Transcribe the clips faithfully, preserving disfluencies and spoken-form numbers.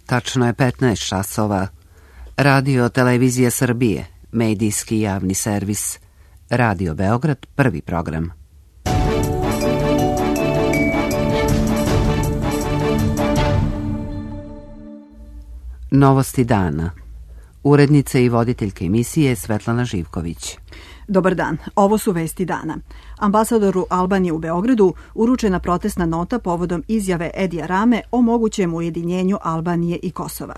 Tačno je petnaest časova. Radio Televizija Srbije, medijski javni servis. Radio Beograd, prvi program. Novosti dana. Urednica i voditeljka emisije Svetlana Živković. Dobar dan, ovo su vesti dana. Ambasadoru Albanije u Beogradu uručena protestna nota povodom izjave Edija Rame o mogućem ujedinjenju Albanije i Kosova.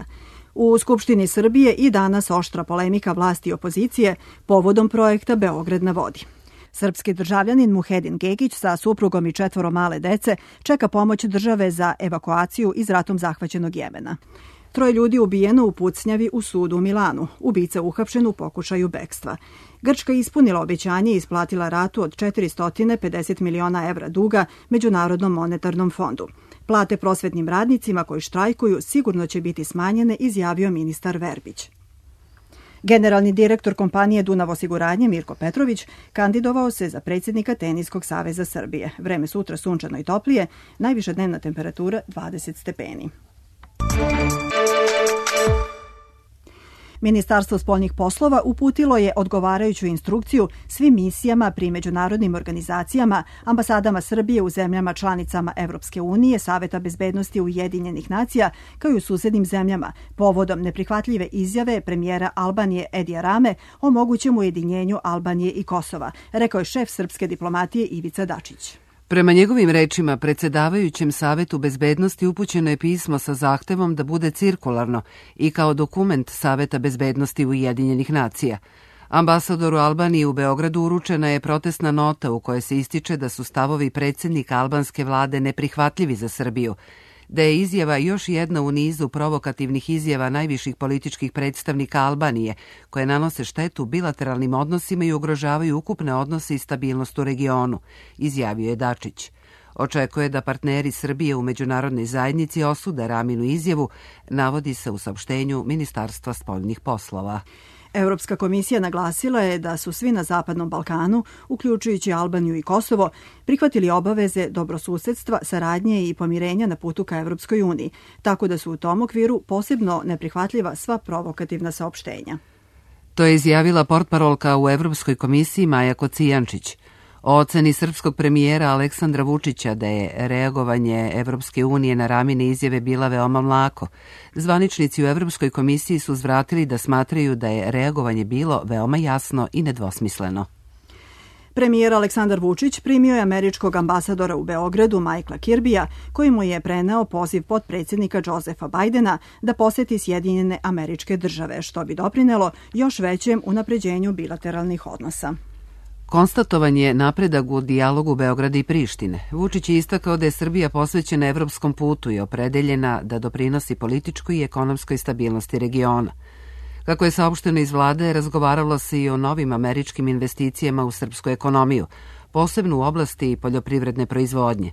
U Skupštini Srbije i danas oštra polemika vlasti i opozicije povodom projekta Beograd na vodi. Srpski državljanin Muhedin Gegić sa suprugom i četvoro male dece čeka pomoć države za evakuaciju iz ratom zahvaćenog Jemena. Troje ljudi ubijeno u pucnjavi u sudu u Milanu, ubica uhapšen u pokušaju bekstva. Grčka ispunila obećanje i isplatila ratu od četiristo pedeset miliona evra duga Međunarodnom monetarnom fondu. Plate prosvetnim radnicima koji štrajkuju sigurno će biti smanjene, izjavio ministar Verbić. Generalni direktor kompanije Dunav osiguranje Mirko Petrović kandidovao se za predsjednika Teniskog saveza Srbije. Vreme sutra sunčano i toplije, najviša dnevna temperatura dvadeset stepeni. Ministarstvo spoljnih poslova uputilo je odgovarajuću instrukciju svim misijama pri međunarodnim organizacijama, ambasadama Srbije u zemljama članicama Evropske unije, Saveta bezbednosti Ujedinjenih nacija, kao i u susednim zemljama, povodom neprihvatljive izjave premijera Albanije Edija Rame o mogućem ujedinjenju Albanije i Kosova, rekao je šef srpske diplomatije Ivica Dačić. Prema njegovim rečima, predsjedavajućem Savetu bezbednosti upućeno je pismo sa zahtevom da bude cirkularno i kao dokument Saveta bezbednosti Ujedinjenih nacija. Ambasadoru Albanije u Beogradu uručena je protestna nota u kojoj se ističe da su stavovi predsjednika albanske vlade neprihvatljivi za Srbiju, da je izjava još jedna u nizu provokativnih izjava najviših političkih predstavnika Albanije, koje nanose štetu bilateralnim odnosima i ugrožavaju ukupne odnose i stabilnost u regionu, izjavio je Dačić. Očekuje da partneri Srbije u međunarodnoj zajednici osude Raminu izjavu, navodi se u saopštenju Ministarstva spoljnih poslova. Europska komisija naglasila je da su svi na Zapadnom Balkanu, uključujući Albaniju i Kosovo, prihvatili obaveze dobrosusedstva, saradnje i pomirenja na putu ka Evropskoj uniji, tako da su u tom okviru posebno neprihvatljiva sva provokativna saopštenja. To je izjavila portparolka u Evropskoj komisiji Maja Kocijančić. O oceni srpskog premijera Aleksandra Vučića da je reagovanje Evropske unije na Ramine izjave bila veoma mlako. Zvaničnici u Evropskoj komisiji su zvratili da smatraju da je reagovanje bilo veoma jasno i nedvosmisleno. Premijer Aleksandar Vučić primio je američkog ambasadora u Beogradu Michaela Kirbija, koji mu je preneo poziv potpredsjednika Josefa Bajdena da poseti Sjedinjene Američke Države, što bi doprinelo još većem unapređenju bilateralnih odnosa. Konstatovan je napredak u dijalogu Beograda i Prištine. Vučić je istakao da je Srbija posvećena evropskom putu i opredeljena da doprinosi političkoj i ekonomskoj stabilnosti regiona. Kako je saopšteno iz vlade, razgovaralo se i o novim američkim investicijama u srpsku ekonomiju, posebno u oblasti poljoprivredne proizvodnje.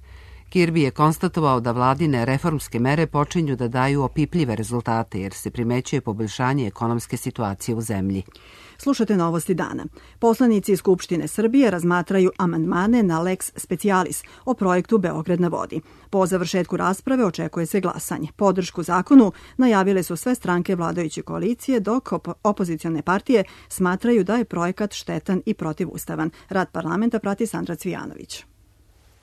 Kirby je konstatovao da vladine reformske mere počinju da daju opipljive rezultate jer se primećuje poboljšanje ekonomske situacije u zemlji. Slušate novosti dana. Poslanici Skupštine Srbije razmatraju amandmane na lex specialis o projektu Beograd na vodi. Po završetku rasprave očekuje se glasanje. Podršku zakonu najavile su sve stranke vladajuće koalicije, dok op- opozicione partije smatraju da je projekat štetan i protivustavan. Rad parlamenta prati Sandra Cvijanović.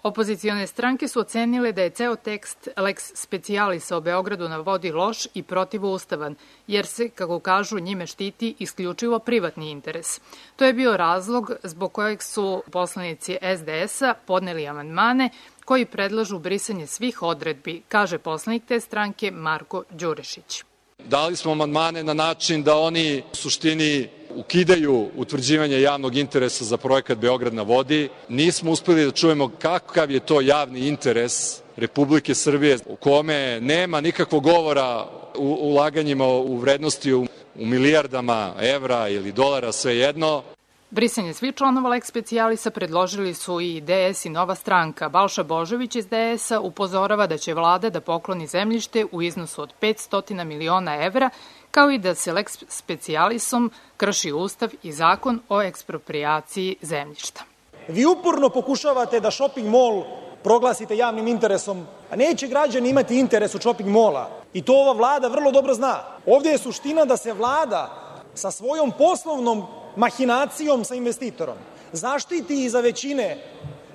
Opozicione stranke su ocenile da je ceo tekst lex specialisa o Beogradu na vodi loš i protivustavan, jer se, kako kažu, njime štiti isključivo privatni interes. To je bio razlog zbog kojeg su poslanici es de es-a podneli amandmane koji predlažu brisanje svih odredbi, kaže poslanik te stranke Marko Đurišić. Dali smo amandmane na način da oni u suštini ukidaju utvrđivanje javnog interesa za projekat Beograd na vodi. Nismo uspeli da čujemo kakav je to javni interes Republike Srbije u kome nema nikakvog govora u ulaganjima u vrednosti u, u milijardama evra ili dolara, svejedno. Brisanje svih članova lex specialisa predložili su i de es i Nova stranka. Balša Božović iz de es-a upozorava da će vlada da pokloni zemljište u iznosu od petsto miliona evra, kao i da se lex specialisom krši Ustav i zakon o eksproprijaciji zemljišta. Vi uporno pokušavate da shopping mall proglasite javnim interesom, a neće građani imati interes u shopping mola. I to ova Vlada vrlo dobro zna. Ovdje je suština da se Vlada sa svojom poslovnom mahinacijom sa investitorom zaštiti iza većine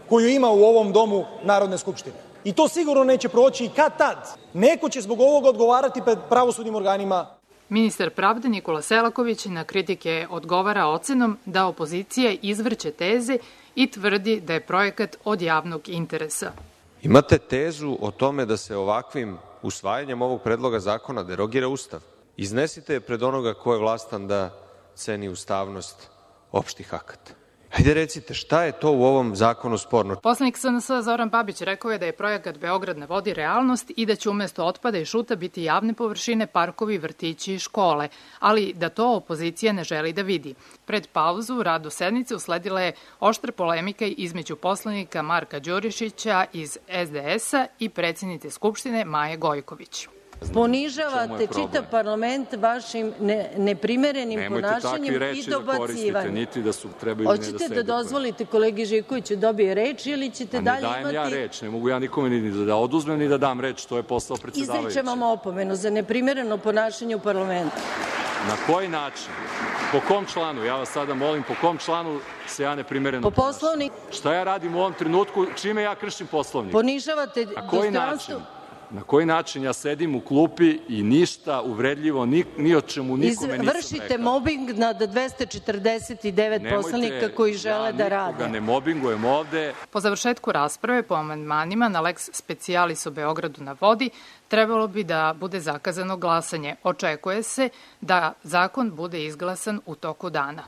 koju ima u ovom domu Narodne skupštine. I to sigurno neće proći i kad tad. Neko će zbog ovoga odgovarati pred pravosudnim organima. Ministar pravde Nikola Selaković na kritike odgovara ocenom da opozicija izvrće teze i tvrdi da je projekat od javnog interesa. Imate tezu o tome da se ovakvim usvajanjem ovog predloga zakona derogira Ustav. Iznesite je pred onoga ko je vlastan da ceni ustavnost opštih akata. Hajde recite, šta je to u ovom zakonu sporno? Poslanik S N S Zoran Babić rekao je da je projekat Beograd na vodi realnost i da će umesto otpada i šuta biti javne površine, parkovi, vrtići i škole, ali da to opozicija ne želi da vidi. Pred pauzu radu sednice usledila je oštra polemika između poslanika Marka Đurišića iz S D S-a i predsjednice Skupštine Maje Gojković. Ponižavate čitav parlament vašim ne, neprimerenim ponašanjem i dobacivanjem. Niti da su trebaju ne da Hoćete da dozvolite kolegi Živkoviću dobije reč ili ćete A dalje ne dajem imati... ja reč, ne mogu ja nikome ni da oduzmem ni da dam reč, to je posao predsjedavajući. Izričem vam opomenu za neprimereno ponašanje u parlamentu. Na koji način? Po kom članu? Ja vas sada molim, po kom članu se ja neprimereno Po poslovnik. Šta ja radim u ovom trenutku? Čime ja kršim poslovnik? Ponižavate Na koji dostojanstvo... način? Na koji način ja sedim u klupi i ništa uvredljivo, ni, ni o čemu nikome nisam rekao. Vršite mobing nad dvesta četrdeset devet poslanika koji žele ja da rade. Nikoga ne mobingujem ovde. Po završetku rasprave po amandmanima na Lex Specialis o Beogradu na vodi trebalo bi da bude zakazano glasanje. Očekuje se da zakon bude izglasan u toku dana.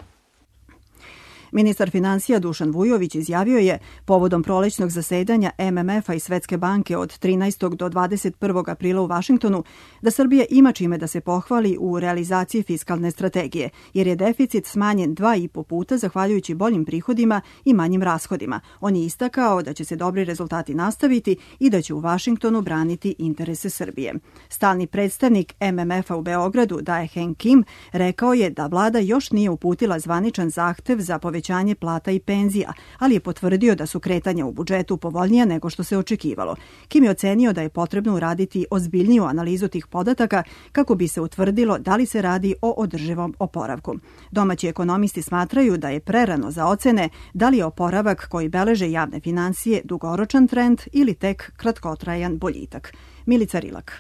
Ministar finansija Dušan Vujović izjavio je povodom prolećnog zasedanja M M F-a i Svetske banke od trinaestog do dvadeset prvog aprila u Vašingtonu da Srbija ima čime da se pohvali u realizaciji fiskalne strategije, jer je deficit smanjen dva i po puta zahvaljujući boljim prihodima i manjim rashodima. On je istakao da će se dobri rezultati nastaviti i da će u Vašingtonu braniti interese Srbije. Stalni predstavnik M M F-a u Beogradu, Dae Heng Kim, rekao je da vlada još nije uputila zvaničan zahtev za povećanje povećanje plata i penzija, ali je potvrdio da su kretanja u budžetu povoljnija nego što se očekivalo. Kim je ocenio da je potrebno uraditi ozbiljniju analizu tih podataka kako bi se utvrdilo da li se radi o održivom oporavku. Domaći ekonomisti smatraju da je prerano za ocene da li je oporavak koji beleže javne financije dugoročan trend ili tek kratkotrajan boljitak. Milica Rilak.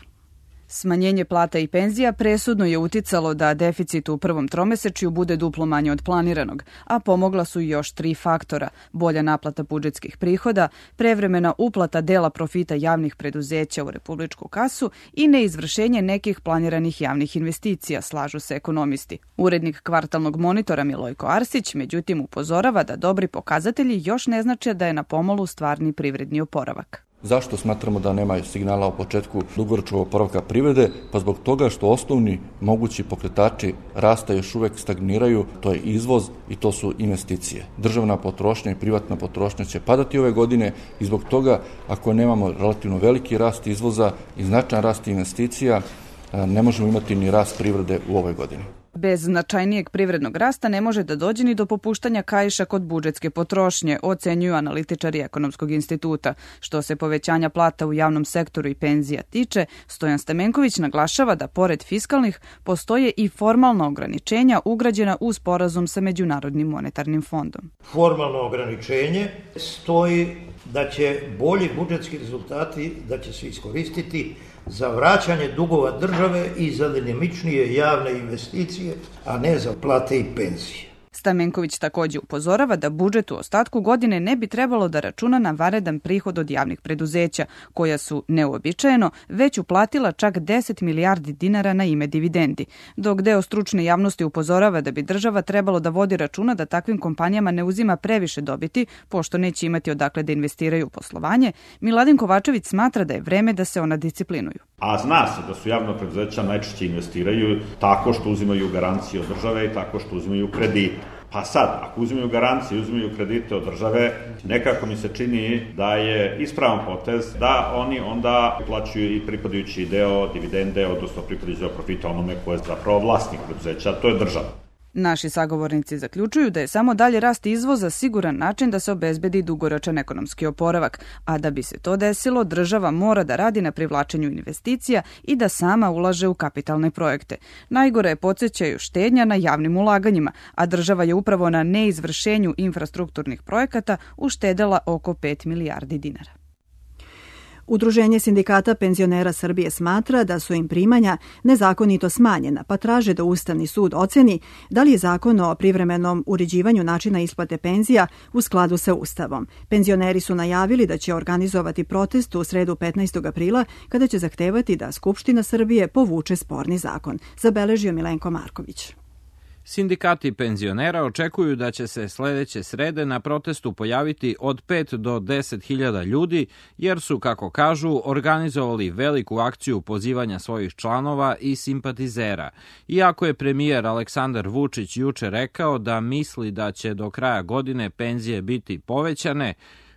Smanjenje plata i penzija presudno je uticalo da deficit u prvom tromesečju bude duplo manje od planiranog, a pomogla su još tri faktora: bolja naplata budžetskih prihoda, prevremena uplata dela profita javnih preduzeća u republičku kasu i neizvršenje nekih planiranih javnih investicija, slažu se ekonomisti. Urednik kvartalnog monitora Milojko Arsić, međutim, upozorava da dobri pokazatelji još ne znače da je na pomolu stvarni privredni oporavak. Zašto smatramo da nema signala o početku dugoročnog oporavka privrede? Pa zbog toga što osnovni mogući pokretači rasta još uvek stagniraju, to je izvoz i to su investicije. Državna potrošnja i privatna potrošnja će padati ove godine i zbog toga, ako nemamo relativno veliki rast izvoza i značajan rast investicija, ne možemo imati ni rast privrede u ovoj godini. Bez značajnijeg privrednog rasta ne može da dođe ni do popuštanja kaiša kod budžetske potrošnje, ocenjuju analitičari Ekonomskog instituta. Što se povećanja plata u javnom sektoru i penzija tiče, Stojan Stamenković naglašava da pored fiskalnih postoje i formalna ograničenja ugrađena u sporazum sa Međunarodnim monetarnim fondom. Formalno ograničenje stoji da će bolji budžetski rezultati, da će se iskoristiti za vraćanje dugova države i za dinamičnije javne investicije, a ne za plate i penzije. Stamenković takođe upozorava da budžet u ostatku godine ne bi trebalo da računa na vanredan prihod od javnih preduzeća, koja su neuobičajeno već uplatila čak deset milijardi dinara na ime dividendi, dok deo stručne javnosti upozorava da bi država trebalo da vodi računa da takvim kompanijama ne uzima previše dobiti, pošto neće imati odakle da investiraju u poslovanje. Miladin Kovačević smatra da je vreme da se ona disciplinuju. A zna se da su javna preduzeća najčešće investiraju tako što uzimaju garancije od države i tako što uzimaju kredite. Pa sad, ako uzimaju garancije, uzimaju kredite od države, nekako mi se čini da je ispravan potez da oni onda plaćaju i pripadajući deo dividende, odnosno pripadajući deo profita onome ko je zapravo vlasnik preduzeća, to je država. Naši sagovornici zaključuju da je samo dalje rast izvoza siguran način da se obezbedi dugoročan ekonomski oporavak, a da bi se to desilo, država mora da radi na privlačenju investicija i da sama ulaže u kapitalne projekte. Najgore je, podsjećaju, štednja na javnim ulaganjima, a država je upravo na neizvršenju infrastrukturnih projekata uštedela oko pet milijardi dinara. Udruženje sindikata penzionera Srbije smatra da su im primanja nezakonito smanjena, pa traže da Ustavni sud oceni da li je zakon o privremenom uređivanju načina isplate penzija u skladu sa Ustavom. Penzioneri su najavili da će organizovati protest u sredu petnaestog aprila kada će zahtevati da Skupština Srbije povuče sporni zakon, zabeležio Milenko Marković. Sindikati penzionera očekuju da će se sledeće srede na protestu pojaviti od pet do deset hiljada ljudi, jer su, kako kažu, organizovali veliku akciju pozivanja svojih članova i simpatizera. Iako je premijer Aleksandar Vučić juče rekao da misli da će do kraja godine penzije biti povećane,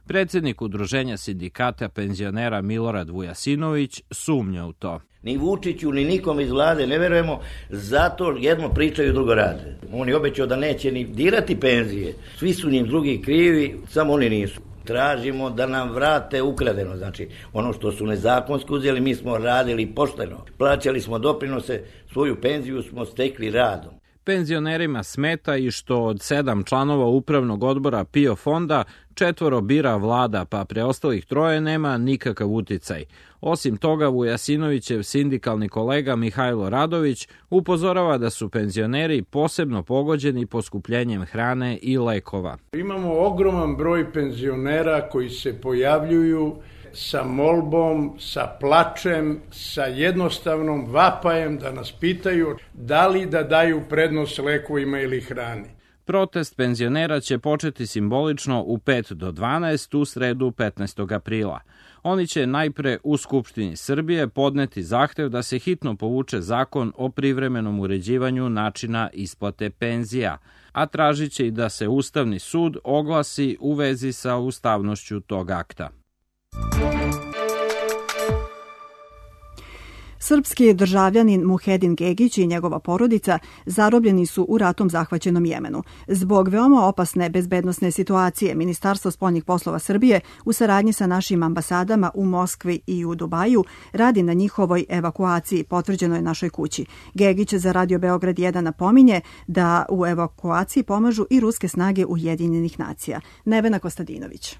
predsednik Udruženja sindikata penzionera Milorad Vujasinović sumnja u to. Ni Vučiću, ni nikom iz vlade ne verujemo, zato jedno pričaju, drugo rade. On je obećao da neće ni dirati penzije. Svi su njim drugi krivi, samo oni nisu. Tražimo da nam vrate ukradeno, znači ono što su nezakonski uzeli, mi smo radili pošteno. Plaćali smo doprinose, svoju penziju smo stekli radom. Penzionerima smeta i što od sedam članova upravnog odbora P I O fonda četvoro bira vlada, pa preostalih troje nema nikakav uticaj. Osim toga, Vujasinovićev sindikalni kolega Mihajlo Radović upozorava da su penzioneri posebno pogođeni poskupljenjem hrane i lekova. Imamo ogroman broj penzionera koji se pojavljuju sa molbom, sa plačem, sa jednostavnom vapajem da nas pitaju da li da daju prednost lekovima ili hrani. Protest penzionera će početi simbolično u pet do dvanaest u sredu petnaestog aprila. Oni će najpre u Skupštini Srbije podneti zahtev da se hitno povuče zakon o privremenom uređivanju načina isplate penzija, a tražit će i da se Ustavni sud oglasi u vezi sa ustavnošću tog akta. Srpski državljanin Muhedin Gegić i njegova porodica zarobljeni su u ratom zahvaćenom Jemenu. Zbog veoma opasne bezbednosne situacije, Ministarstvo spoljnih poslova Srbije u saradnji sa našim ambasadama u Moskvi i u Dubaju radi na njihovoj evakuaciji, potvrđeno je našoj kući. Gegić za Radio Beograd jedan napominje da u evakuaciji pomažu i ruske snage Ujedinjenih nacija. Nevena Kostadinović.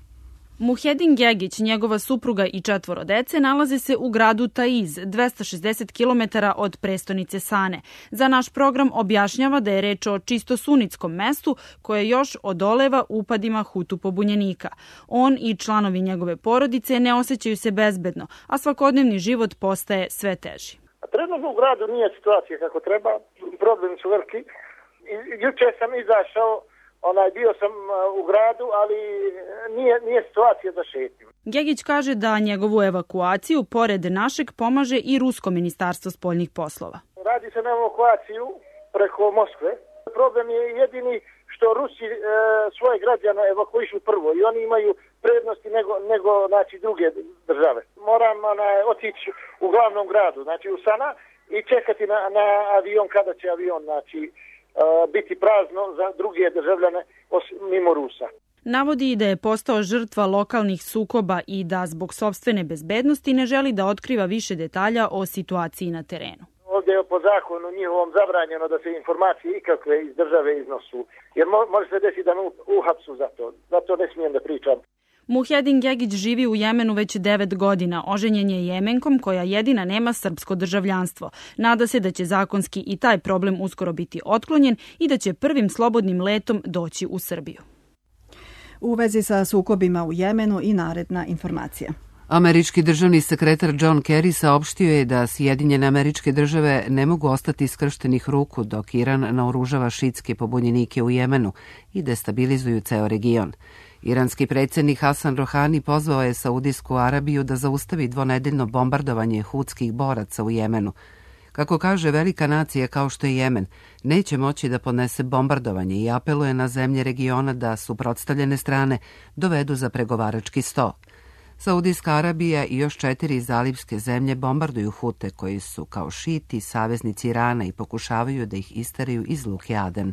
Muhedin Gegić, njegova supruga i četvoro dece nalaze se u gradu Taiz, dvesta šezdeset kilometara od prestonice Sane. Za naš program objašnjava da je reč o čisto sunitskom mestu koje još odoleva upadima Hutu pobunjenika. On i članovi njegove porodice ne osjećaju se bezbedno, a svakodnevni život postaje sve teži. Trenutno u gradu nije situacija kako treba, problemi su veliki. Juče sam izašao, Onaj, bio sam u gradu, ali nije, nije situacija da šetim. Gegić kaže da njegovu evakuaciju, pored našeg, pomaže i Rusko ministarstvo spoljnih poslova. Radi se na evakuaciju preko Moskve. Problem je jedini što Rusi e, svoje građane evakuišu prvo i oni imaju prednosti nego, nego znači, druge države. Moram onaj, otići u glavnom gradu, znači u Sana, i čekati na, na avion kada će avion, znači, biti prazno za druge državljane mimo Rusa. Navodi da je postao žrtva lokalnih sukoba i da zbog sopstvene bezbednosti ne želi da otkriva više detalja o situaciji na terenu. Ovdje je po zakonu njihovom zabranjeno da se informacije ikakve iz države iznosu, jer može se desiti da me uhapsu za to. Zato ne smijem da pričam. Muhedin Gegić živi u Jemenu već devet godina. Oženjen je Jemenkom koja jedina nema srpsko državljanstvo. Nada se da će zakonski i taj problem uskoro biti otklonjen i da će prvim slobodnim letom doći u Srbiju. U vezi sa sukobima u Jemenu i naredna informacija. Američki državni sekretar John Kerry saopštio je da Sjedinjene Američke Države ne mogu ostati skrštenih ruku dok Iran naoružava šiitske pobunjenike u Jemenu i destabilizuju ceo region. Iranski predsjednik Hasan Rohani pozvao je Saudijsku Arabiju da zaustavi dvonedeljno bombardovanje hutskih boraca u Jemenu. Kako kaže, velika nacija kao što je Jemen neće moći da podnese bombardovanje i apeluje na zemlje regiona da suprotstavljene strane dovedu za pregovarački sto. Saudijska Arabija i još četiri zalivske zemlje bombarduju Hute koji su kao šiti saveznici Irana i pokušavaju da ih isteraju iz luke Aden.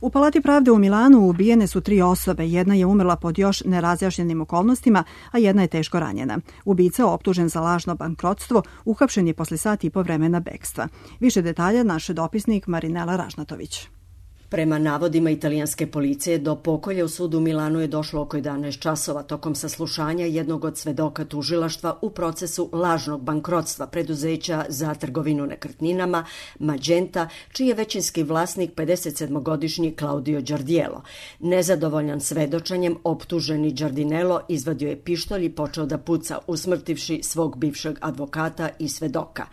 U Palati pravde u Milanu ubijene su tri osobe, jedna je umrla pod još nerazjašnjenim okolnostima, a jedna je teško ranjena. Ubica, optužen za lažno bankrotstvo, uhapšen je posle sat i po vremena bekstva. Više detalja naš dopisnik Marinela Ražnatović. Prema navodima italijanske policije, do pokolja u sudu u Milanu je došlo oko jedanaest časova tokom saslušanja jednog od svedoka tužilaštva u procesu lažnog bankrotstva preduzeća za trgovinu nekretninama Magenta, čiji je većinski vlasnik pedesetsedmogodišnji Claudio Giardiello. Nezadovoljan svedočenjem, optuženi Giardinello izvadio je pištolj i počeo da puca, usmrtivši svog bivšeg advokata i svedoka.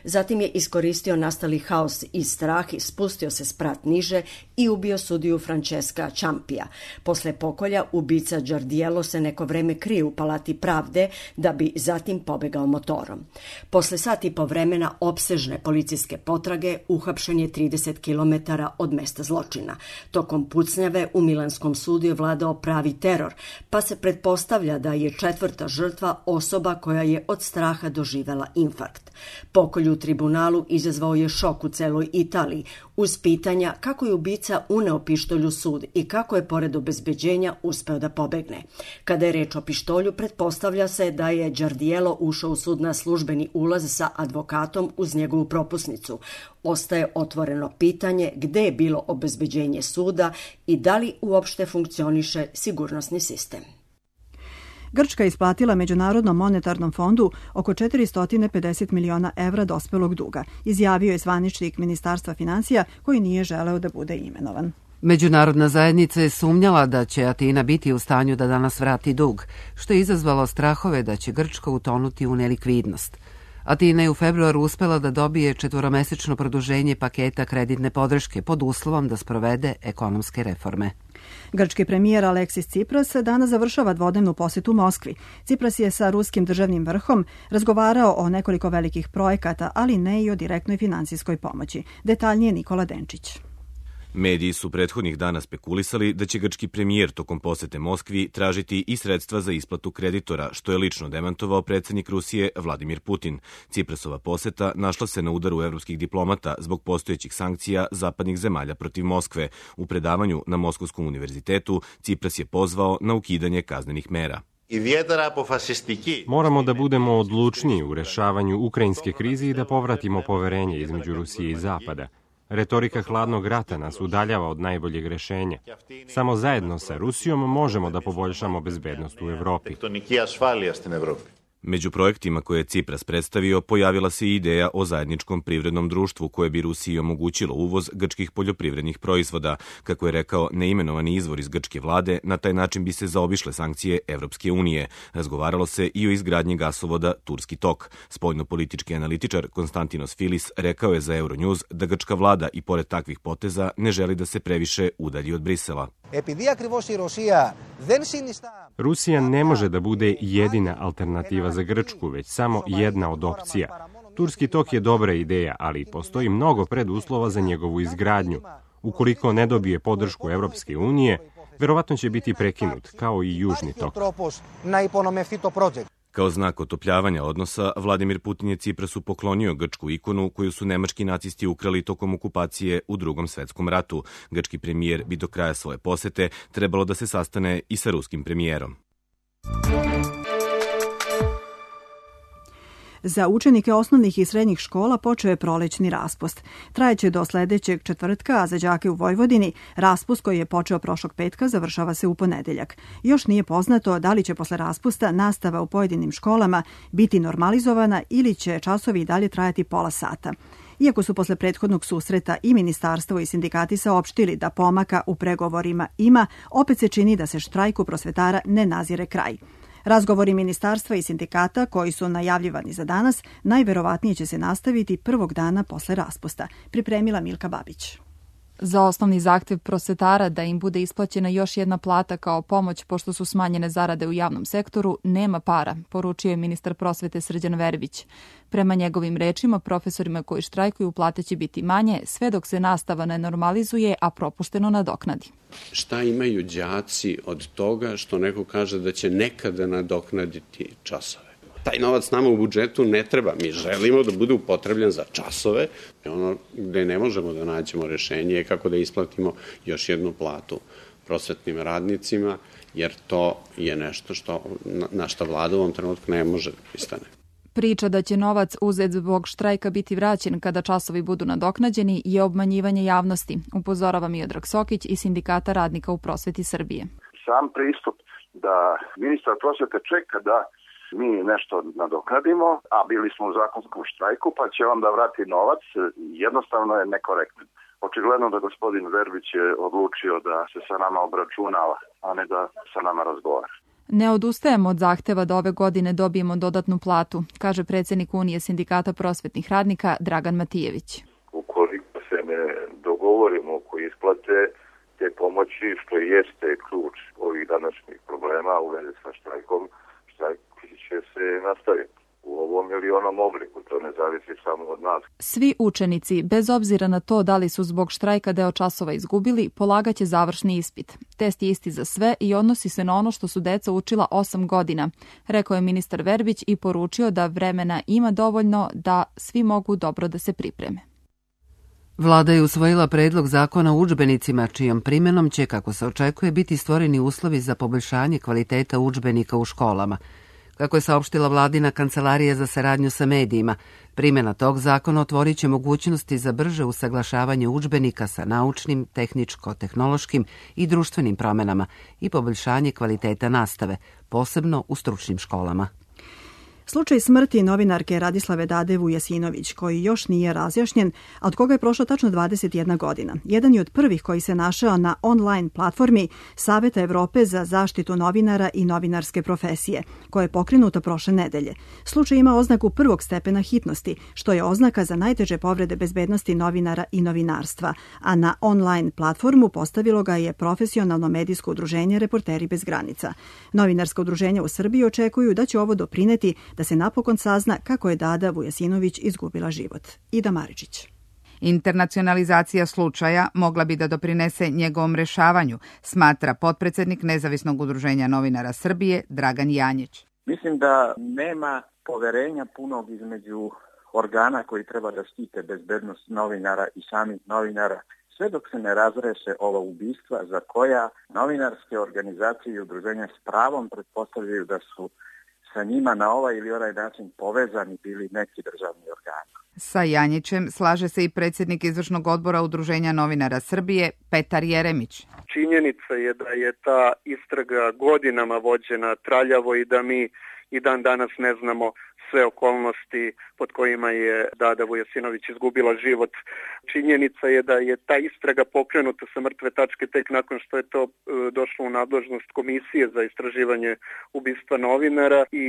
Zatim je iskoristio nastali haos i strah i spustio se sprat niže i ubio sudiju Francesca Ciampija. Posle pokolja ubica Giardiello se neko vreme krije u Palati pravde da bi zatim pobegao motorom. Posle sat i po vremena opsežne policijske potrage uhapšen je trideset kilometara od mesta zločina. Tokom pucnjave u milanskom sudu je vladao pravi teror, pa se pretpostavlja da je četvrta žrtva osoba koja je od straha doživela infarkt. Pokolj u tribunalu izazvao je šok u celoj Italiji, uz pitanja kako je ubica uneo pištolj u sud i kako je pored obezbeđenja uspeo da pobegne. Kada je reč o pištolju, pretpostavlja se da je Giardiello ušao u sud na službeni ulaz sa advokatom uz njegovu propusnicu. Ostaje otvoreno pitanje gde je bilo obezbeđenje suda i da li uopšte funkcioniše sigurnosni sistem. Grčka je isplatila Međunarodnom monetarnom fondu oko četiristo pedeset miliona evra dospelog duga, izjavio je zvaničnik Ministarstva financija koji nije želeo da bude imenovan. Međunarodna zajednica je sumnjala da će Atina biti u stanju da danas vrati dug, što je izazvalo strahove da će Grčka utonuti u nelikvidnost. Atina je u februaru uspela da dobije četvoromesečno produženje paketa kreditne podrške pod uslovom da sprovede ekonomske reforme. Grčki premijer Aleksis Tsipras danas završava dvodnevnu posetu Moskvi. Tsipras je sa ruskim državnim vrhom razgovarao o nekoliko velikih projekata, ali ne i o direktnoj finansijskoj pomoći. Detaljnije Nikola Denčić. Mediji su prethodnih dana spekulisali da će grčki premijer tokom posete Moskvi tražiti i sredstva za isplatu kreditora, što je lično demantovao predsjednik Rusije Vladimir Putin. Ciprasova poseta našla se na udaru evropskih diplomata zbog postojećih sankcija zapadnih zemalja protiv Moskve. U predavanju na Moskovskom univerzitetu Cipras je pozvao na ukidanje kaznenih mera. Moramo da budemo odlučniji u rešavanju ukrajinske krize i da povratimo poverenje između Rusije i Zapada. Retorika hladnog rata nas udaljava od najboljeg rešenja. Samo zajedno sa Rusijom možemo da poboljšamo bezbednost u Evropi. Među projektima koje je Cipras predstavio pojavila se i ideja o zajedničkom privrednom društvu koje bi Rusiji omogućilo uvoz grčkih poljoprivrednih proizvoda. Kako je rekao neimenovani izvor iz grčke vlade, na taj način bi se zaobišle sankcije Evropske unije. Razgovaralo se i o izgradnji gasovoda Turski tok. Spoljnopolitički analitičar Konstantinos Filis rekao je za Euronews da grčka vlada i pored takvih poteza ne želi da se previše udalji od Brisela. Rusija ne može da bude jedina alternativa za Grčku, već samo jedna od opcija. Turski tok je dobra ideja, ali postoji mnogo preduslova za njegovu izgradnju. Ukoliko ne dobije podršku Evropske unije, verovatno će biti prekinut, kao i Južni tok. Kao znak otopljavanja odnosa, Vladimir Putin je Ciprasu poklonio grčku ikonu koju su nemački nacisti ukrali tokom okupacije u Drugom svetskom ratu. Grčki premijer bi do kraja svoje posete trebalo da se sastane i sa ruskim premijerom. Za učenike osnovnih i srednjih škola počeo je prolećni raspust. Trajeće do sledećeg četvrtka, a za đake u Vojvodini raspust koji je počeo prošlog petka završava se u ponedeljak. Još nije poznato da li će posle raspusta nastava u pojedinim školama biti normalizovana ili će časovi i dalje trajati pola sata. Iako su posle prethodnog susreta i ministarstvo i sindikati saopštili da pomaka u pregovorima ima, opet se čini da se štrajku prosvetara ne nazire kraj. Razgovori ministarstva i sindikata koji su najavljivani za danas najverovatnije će se nastaviti prvog dana posle raspusta, pripremila Milka Babić. Za osnovni zahtev prosvetara da im bude isplaćena još jedna plata kao pomoć pošto su smanjene zarade u javnom sektoru, nema para, poručio je ministar prosvete Srđan Verbić. Prema njegovim rečima, profesorima koji štrajkuju plate će biti manje, sve dok se nastava ne normalizuje, a propušteno nadoknadi. Šta imaju đaci od toga što neko kaže da će nekada nadoknaditi časove? Taj novac nama u budžetu ne treba. Mi želimo da bude upotrebljen za časove. Ono gde ne možemo da nađemo rešenje je kako da isplatimo još jednu platu prosvetnim radnicima, jer to je nešto što, na što vlada u ovom trenutku ne može da pristane. Priča da će novac uzet zbog štrajka biti vraćen kada časovi budu nadoknađeni je obmanjivanje javnosti, upozorava Miodrag Sokić iz Sindikata radnika u prosveti Srbije. Sam pristup da ministar prosvete čeka da mi nešto nadoknadimo, a bili smo u zakonskom štrajku, pa će on da vrati novac, jednostavno je nekorektan. Očigledno da gospodin Verbić je odlučio da se sa nama obračunava, a ne da sa nama razgovara. Ne odustajemo od zahteva da ove godine dobijemo dodatnu platu, kaže predsjednik Unije Sindikata prosvetnih radnika Dragan Matijević. Ukoliko se ne dogovorimo oko isplate te pomoći, što jeste ključ ovih današnjih problema u vezi sa štrajkom, štrajk će se nastaviti u ovom ili onom obliku, to ne zavisi samo od nas. Svi učenici, bez obzira na to da li su zbog štrajka deo časova izgubili, polagaće završni ispit. Test je isti za sve i odnosi se na ono što su deca učila osam godina, rekao je ministar Verbić i poručio da vremena ima dovoljno da svi mogu dobro da se pripreme. Vlada je usvojila predlog zakona o udžbenicima, čijom primenom će, kako se očekuje, biti stvoreni uslovi za poboljšanje kvaliteta udžbenika u školama. Kako je saopštila vladina kancelarija za saradnju sa medijima, primjena tog zakona otvorit će mogućnosti za brže usaglašavanje udžbenika sa naučnim, tehničko-tehnološkim i društvenim promenama i poboljšanje kvaliteta nastave, posebno u stručnim školama. Slučaj smrti novinarke Radislave Dade Vujasinović, koji još nije razjašnjen, a od koga je prošlo tačno dvadeset jedna godina. Jedan je od prvih koji se našao na online platformi Saveta Evrope za zaštitu novinara i novinarske profesije, koja je pokrenuta prošle nedelje. Slučaj ima oznaku prvog stepena hitnosti, što je oznaka za najteže povrede bezbednosti novinara i novinarstva, a na online platformu postavilo ga je profesionalno medijsko udruženje Reporteri bez granica. Novinarska udruženja u Srbiji očekuju da će ovo doprineti da se napokon sazna kako je Dada Vujasinović izgubila život. Ida Maričić. Internacionalizacija slučaja mogla bi da doprinese njegovom rešavanju, smatra potpredsednik Nezavisnog udruženja novinara Srbije Dragan Janjić. Mislim da nema poverenja punog između organa koji treba da štite bezbednost novinara i samih novinara, sve dok se ne razreše ova ubistva za koja novinarske organizacije i udruženja s pravom pretpostavljaju da su sa njima na ovaj ili onaj način povezani bili neki državni organi. Sa Janjićem slaže se i predsjednik izvršnog odbora Udruženja novinara Srbije Petar Jeremić. Činjenica je da je ta istraga godinama vođena traljavo i da mi i dan danas ne znamo sve okolnosti pod kojima je Dada Vujasinović izgubila život. Činjenica je da je ta istraga pokrenuta sa mrtve tačke tek nakon što je to došlo u nadležnost Komisije za istraživanje ubistva novinara i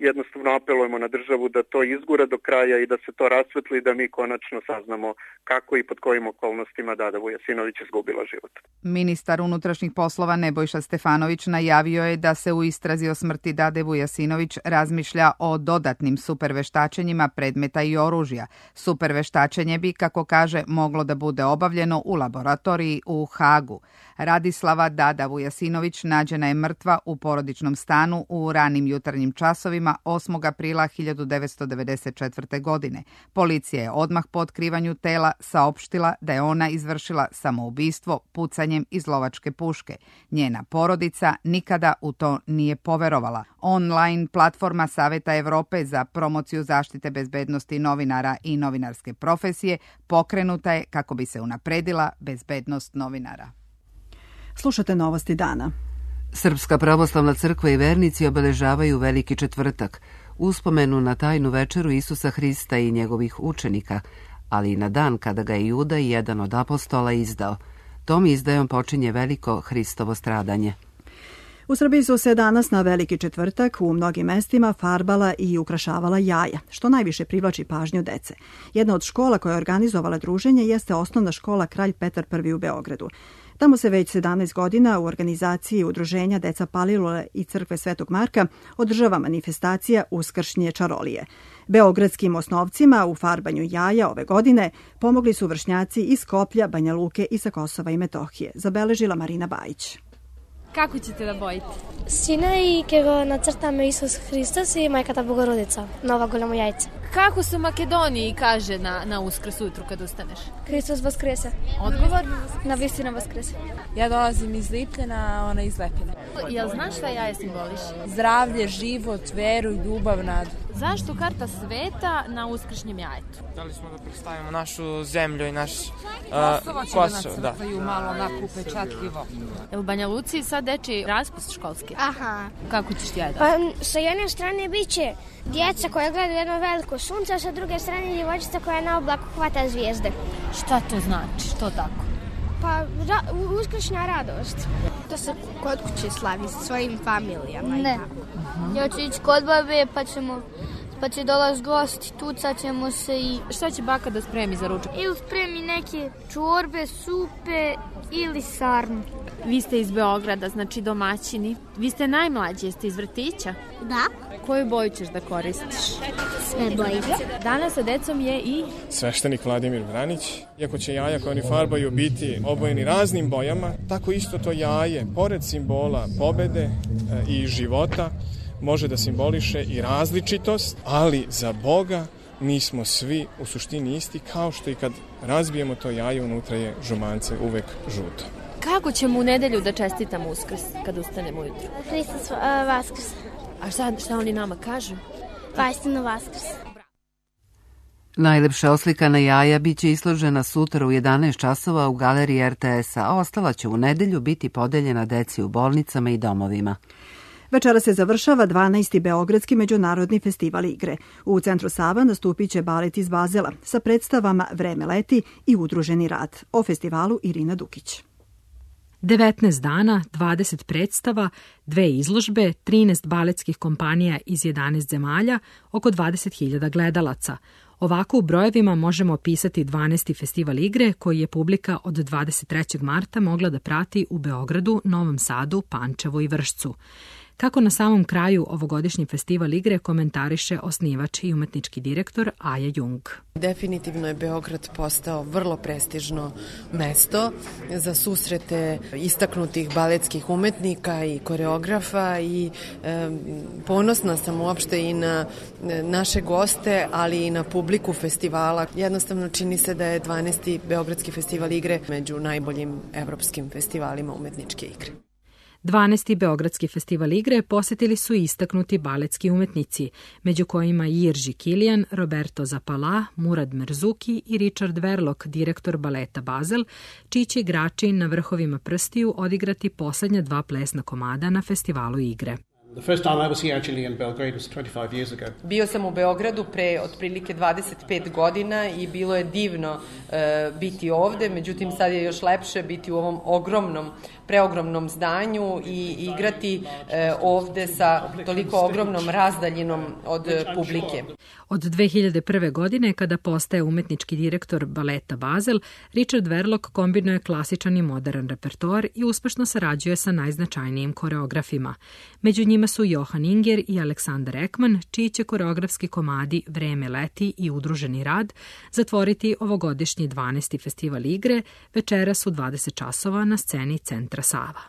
jednostavno apelujemo na državu da to izgura do kraja i da se to rasvetli, da mi konačno saznamo kako i pod kojim okolnostima Dada Vujasinović izgubila život. Ministar unutrašnjih poslova Nebojša Stefanović najavio je da se u istrazi o smrti Dade Vujasinović razmišlja o dodatnim superveštačenjima predmeta i oružja. Superveštačenje bi, kako kaže, moglo da bude obavljeno u laboratoriji u Hagu. Radislava Dada Vujasinović nađena je mrtva u porodičnom stanu u ranim jutarnjim časovima osmog aprila hiljadu devetsto devedeset četvrte. godine. Policija je odmah po otkrivanju tela saopštila da je ona izvršila samoubistvo pucanjem iz lovačke puške. Njena porodica nikada u to nije poverovala. Online platforma Saveta Evrope za promociju zaštite bezbednosti novinara i novinarske profesije pokrenuta je kako bi se unapredila bezbednost novinara. Slušate novosti dana. Srpska pravoslavna crkva i vernici obeležavaju Veliki četvrtak, uspomenu na tajnu večeru Isusa Hrista i njegovih učenika, ali i na dan kada ga je Juda, jedan od apostola, izdao. Tom izdajom počinje veliko Hristovo stradanje. U Srbiji su se danas na Veliki četvrtak u mnogim mestima farbala i ukrašavala jaja, što najviše privlači pažnju dece. Jedna od škola koja je organizovala druženje jeste osnovna škola Kralj Petar Prvi u Beogradu. Tamo se već sedamnaest godina u organizaciji Udruženja Deca Palilule i Crkve Svetog Marka održava manifestacija Uskršnje čarolije. Beogradskim osnovcima u farbanju jaja ove godine pomogli su vršnjaci iz Skoplja, Banja Luke i sa Kosova i Metohije, zabeležila Marina Bajić. Kako ćete da bojite? Sina i ke go nacrtame Isus Hristos i Majkata Bogorodica, Nova Golemo jajce. Kako se u Makedoniji kaže na, na Uskrs ujutru kad ustaneš? Hristos vaskrese. Odgovor? Na vistina vaskrese. Ja dolazim iz Lipljana, ona iz Lepina. Jel znaš šta jaje simboliš? Zdravlje, život, veru, ljubav, nadu. Zašto karta sveta na uskršnjem jajetu? Da li smo da predstavimo našu zemlju i naš uh, Kosovo će Kosovo, da nacrtaju malo onako upečatljivo. Jel u Banja Luci sad deči raspust školski? Aha. Kako ćeš ti jajeti? Pa sa jedne strane bit će djeca koja gledaju jedno veliko sunce, a sa druge strane djevojčica koja na oblaku hvata zvijezde. Šta to znači? Što tako? Pa ra uskršnja radost. To se kod kuće slavi sa svojim familijama. Ne. Ja ću ići kod babe pa ćemo... Pa će dolaz gosti, tucat ćemo se i... Šta će baka da spremi za ručak? Ili spremi neke čorbe, supe ili sarmu. Vi ste iz Beograda, znači domaćini. Vi ste najmlađi, jeste iz vrtića? Da. Koju boju ćeš da koristiš? Sve bojice. Danas sa decom je i... sveštenik Vladimir Vranić. Iako će jaja koje oni farbaju biti obojeni raznim bojama, tako isto to jaje, pored simbola pobede e, i života, može da simboliše i različitost, ali za Boga nismo svi u suštini isti, kao što i kad razbijemo to jaje, unutra je žumance uvek žuto. Kako ćemo u nedelju da čestitamo Uskrs kad ustanemo ujutru? Hristos Vaskrs. A šta, šta oni nama kažu? Vajstino Vaskrs. Najlepša oslikana jaja biće izložena sutra u jedanaest časova u galeriji er te es-a, a ostala će u nedelju biti podeljena deci u bolnicama i domovima. Večera se završava dvanaesti Beogradski međunarodni festival igre. U centru Sava nastupit će balet iz Bazela sa predstavama Vreme leti i Udruženi rad. O festivalu Irina Dukić. devetnaest dana, dvadeset predstava, dve izložbe, trinaest baletskih kompanija iz jedanaest zemalja, oko dvadeset hiljada gledalaca. Ovako u brojevima možemo opisati dvanaesti festival igre koji je publika od dvadeset trećeg marta mogla da prati u Beogradu, Novom Sadu, Pančevu i Vršcu. Kako na samom kraju ovogodišnji festival igre komentariše osnivač i umetnički direktor Aja Jung. Definitivno je Beograd postao vrlo prestižno mesto za susrete istaknutih baletskih umetnika i koreografa i e, ponosna sam uopšte i na naše goste, ali i na publiku festivala. Jednostavno čini se da je dvanaesti Beogradski festival igre među najboljim evropskim festivalima umetničke igre. dvanaesti Beogradski festival igre posjetili su istaknuti baletski umetnici, među kojima Jirži Kilijan, Roberto Zapala, Murad Merzuki i Richard Verlock, direktor baleta Basel, čiji će igrači na vrhovima prstiju odigrati poslednja dva plesna komada na festivalu igre. The first time I was here actually in Belgrade was twenty-five years ago. Bio sam u Beogradu pre otprilike dvadeset pet godina i bilo je divno uh, biti ovde, međutim sad je još lepše biti u ovom ogromnom, preogromnom zdanju i igrati uh, ovde sa toliko ogromnom razdaljinom od uh, publike. Od dve hiljade prve. godine, kada postaje umetnički direktor baleta Basel, Richard Verlock kombinuje klasičan i modern repertoar i uspešno sarađuje sa najznačajnijim koreografima. Među njima su Johan Inger i Aleksandar Ekman, čiji će koreografski komadi Vreme leti i Udruženi rad zatvoriti ovogodišnji dvanaesti festival igre večeras u dvadeset časova na sceni Centra Sava.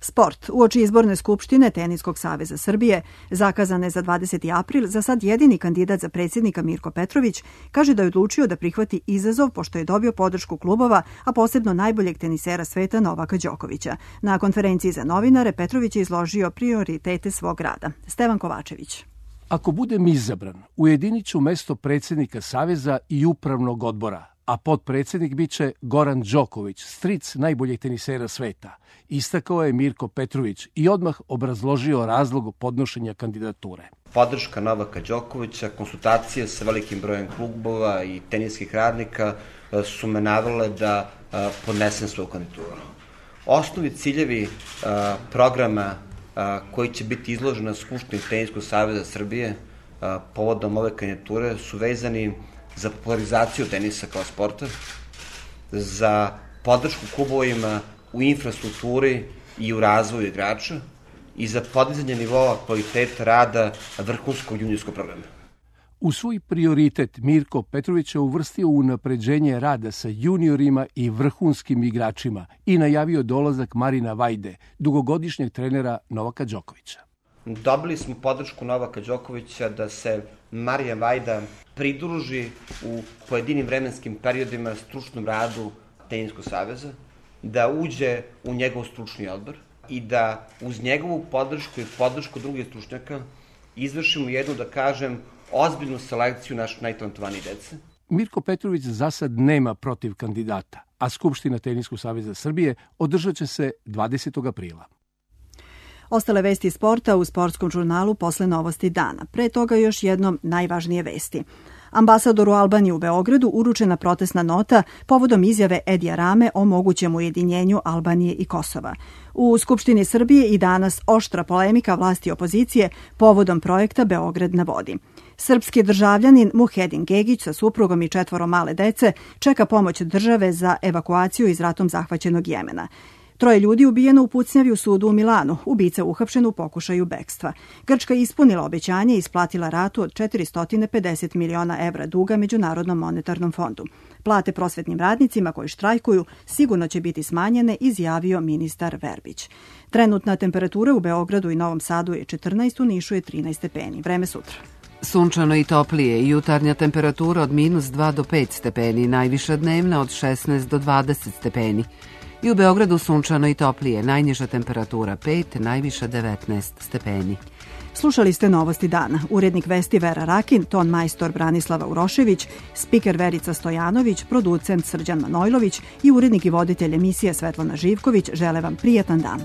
Sport. Uoči izborne skupštine Teniskog saveza Srbije, zakazane za dvadeseti april, za sad jedini kandidat za predsjednika Mirko Petrović kaže da je odlučio da prihvati izazov pošto je dobio podršku klubova, a posebno najboljeg tenisera sveta Novaka Đokovića. Na konferenciji za novinare Petrović je izložio prioritete svog rada. Stevan Kovačević. Ako budem izabran, ujedinit ću mesto predsjednika Saveza i upravnog odbora, a potpredsjednik biće Goran Đoković, stric najboljeg tenisera sveta, istakao je Mirko Petrović i odmah obrazložio razlog podnošenja kandidature. Podrška Novaka Đokovića, konsultacije sa velikim brojem klubova i teniskih radnika su me navele da podnesem svoju kandidaturu. Osnovni ciljevi programa koji će biti izloženi na Skupštini Teniskog saveza Srbije povodom ove kandidature su vezani za popularizaciju tenisa kao sporta, za podršku klubovima u infrastrukturi i u razvoju igrača i za podizanje nivoa kvaliteta rada vrhunskog juniorskog programa. U svoj prioritet Mirko Petrović je uvrstio unapređenje rada sa juniorima i vrhunskim igračima i najavio dolazak Marina Vajde, dugogodišnjeg trenera Novaka Đokovića. Dobili smo podršku Novaka Đokovića da se Marija Vajda pridruži u pojedinim vremenskim periodima stručnom radu Teniskog saveza, da uđe u njegov stručni odbor i da uz njegovu podršku i podršku drugih stručnjaka izvršimo jednu, da kažem, ozbiljnu selekciju naših najtalentovanijih dece. Mirko Petrović za sad nema protiv kandidata, a Skupština Teniskog saveza Srbije održat će se dvadesetog aprila. Ostale vesti iz sporta u sportskom žurnalu posle novosti dana. Pre toga još jednom najvažnije vesti. Ambasadoru Albanije u Beogradu uručena protestna nota povodom izjave Edija Rame o mogućem ujedinjenju Albanije i Kosova. U Skupštini Srbije i danas oštra polemika vlasti i opozicije povodom projekta Beograd na vodi. Srpski državljanin Muhedin Gegić sa suprugom i četvoro male dece čeka pomoć države za evakuaciju iz ratom zahvaćenog Jemena. Troje ljudi ubijeno u pucnjavi u sudu u Milanu, ubica uhapšen u pokušaju bekstva. Grčka ispunila obećanje i isplatila ratu od četiristo pedeset miliona evra duga Međunarodnom monetarnom fondu. Plate prosvetnim radnicima koji štrajkuju sigurno će biti smanjene, izjavio ministar Verbić. Trenutna temperatura u Beogradu i Novom Sadu je četrnaest, u Nišu je trinaest stepeni. Vreme sutra. Sunčano i toplije, jutarnja temperatura od minus dva do pet stepeni, najviša dnevna od šesnaest do dvadeset stepeni. I u Beogradu sunčano i toplije, najniža temperatura pet, najviša devetnaest stepeni. Slušali ste novosti dana. Urednik vesti Vera Rakin, ton majstor Branislava Urošević, spiker Verica Stojanović, producent Srđan Manojlović i urednik i voditelj emisije Svetlana Živković žele vam prijatan dan.